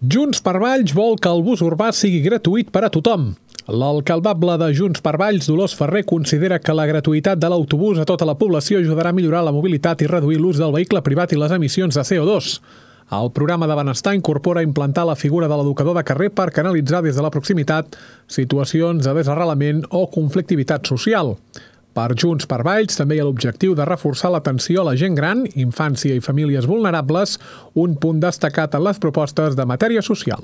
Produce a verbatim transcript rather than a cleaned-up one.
Junts per Valls vol que el bus urbà sigui gratuït per a tothom. L'alcaldable de Junts per Valls, Dolors Ferrer, considera que la gratuïtat de l'autobús a tota la població ajudarà a millorar la mobilitat i reduir l'ús del vehicle privat i les emissions de C O dos. El programa de benestar incorpora implantar la figura de l'educador de carrer per canalitzar des de la proximitat situacions de desarrelament o conflictivitat social. Per Junts per Valls també hi ha l'objectiu de reforçar l'atenció a la gent gran, infància i famílies vulnerables, un punt destacat en les propostes de matèria social.